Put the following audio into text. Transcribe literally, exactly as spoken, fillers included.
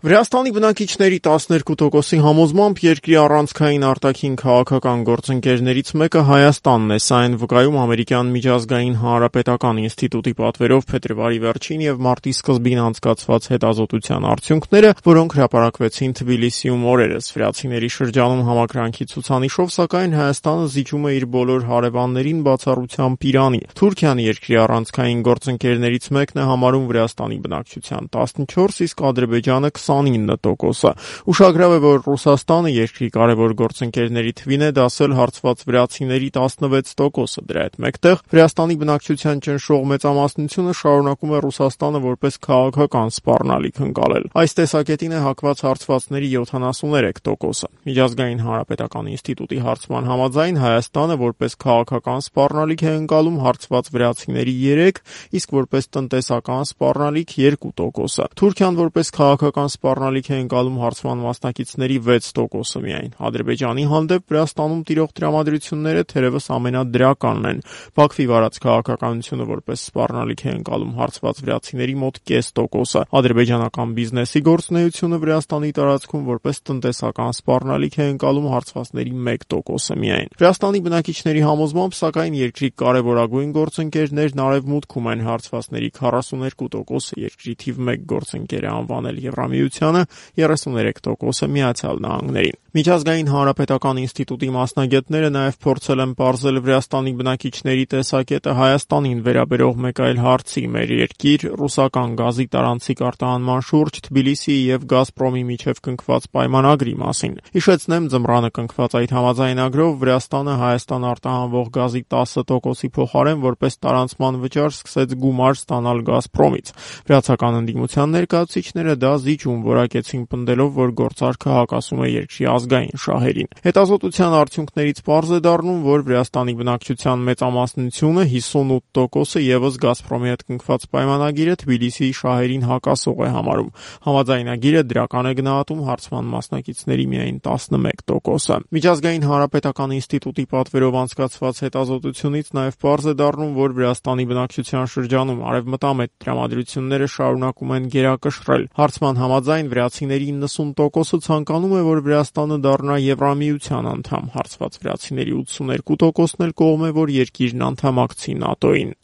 Վրաստանի բնակիչների տասներկու տոկոսի համոզմամբ երկրի առանցքային արտաքին քաղաքական գործընկերներից մեկը Հայաստանն է, սա այն վկայում ամերիկյան միջազգային հանրապետական ինստիտուտի պատվերով փետրվարի վերջին եւ մարտի սկզբին անցկացված հետազոտության արդյունքները, որոնք հրապարակվեցին Թբիլիսիում օրերս։ Վրացիների շրջանում համակրանքի ցուցանիշով, սակայն Հայաստանը զիջում է իր բոլոր հարևաններին բացառությամբ Իրանի։ Թուրքիան երկրի առանցքային գործընկերներից մեկն է համարում Վրաստանի բնակչության տասնչորս, իսկ Ադրբեջանը քսանինը տոկոսը։ Ուշագրավ է, որ Ռուսաստանը երկրի կարևոր գործընկերների թվին է դասել հարցված վրացիների տասնվեց տոկոսը։ Դրա հետ մեկտեղ Վրաստանի բնակչության ճնշող մեծամասնությունը շարունակում է Ռուսաստանը որպես քաղաքական սպառնալիք ընկալել։ Այս տեսակետին է հակված հարցվածների յոթանասուներեք տոկոսը։ Միջազգային հանրապետական ինստիտուտի հարցման համաձայն Հայաստանը որպես քաղաքական սպառնալիք է ընկալում հարցված վրացիների երեք, իսկ որպես տնտեսական սպառնալիք երկու տոկոսը։ Թուրքիան որպես քաղաքական սպառնալիք է ընկալում հարցման մասնակիցների վեց տոկոսը միայն։ Ադրբեջանի հանդեպ Վրաստանում տիրող տրամադրությունները թերևս ամենադրականն են։ Բաքվի վարած քաղաքականությունը որպես սպառնալիք է ընկալում հարցված վրացիների մոտ կես տոկոսը։ Ադրբեջանական բիզնեսի գործունեությունը Վրաստանի տարածքում որպես տնտեսական սպառնալիք է ընկալում հարցվածների մեկ տոկոսը միայն։ Վրաստանի բնակիչների համոզմամբ, սակայն երկրի կարևորագույն գործընկերներն արևմուտքում են, հարցվածների քառասուներկու տոկոսը երկրի թիվ մեկ գործընկեր է անվանել Եվրամիությանը, երեսուներեք տոկոսը Միացյալ Նահանգներին։ Միջազգային հանրապետական ինստիտուտի մասնագետները նաև փորձել են պարզել Վրաստանի բնակիչների տեսակետը Հայաստանին վերաբերող մեկ այլ հարցի՝ մեր երկիր ռուսական գազի տարանցիկ արտահանման շուրջ Թբիլիսիի եւ Գազպրոմի միջև կնքված պայմանագրի մասին։ Հիշեցնեմ, ձմռանը կնքված այդ համաձայնագրով Վրաստանը Հայաստան արտահանվող գազի տասը տոկոսի փոխարեն որպես տարանցման վճար սկսեց գումար ստանալ Գազպրոմից։ Վրացական ընդդիմության ներկայացուցիչները դա զիջում որակեցին, պնդելով, որ գործարքը հակասում է երկրի ազգային շահերին։ Հետազոտության արդյունքներից պարզ է դառնում, որ Վրաստանի բնակչության մեծամասնությունը հիսունութ տոկոսը եւս Գազպրոմի հետ կնքված պայմանագիրը Թբիլիսիի շահերին հակասող է համարում։ Համաձայնագիրը դրական է գնահատում հարցման մասնակիցների միայն տասնմեկ տոկոսը։ Միջազգային հանրապետական ինստիտուտի պատվերով անցկացված հետազոտությունից նաև պարզ է դառնում, որ Վրաստանի բնակչության շրջանում արևմտամետ տրամադրությունները շարունակում են գերակշռել։ Հարցման համաձայն վրացիների իննսուն տոկոսը ցանկանում է, որ Վրաստանը դառնա Եվրամիության անդամ։ Հարցված վրացիների ութսուներկու տոկոսն էլ կողմ է, որ երկիրն անդամակցի ՆԱՏՕ-ին։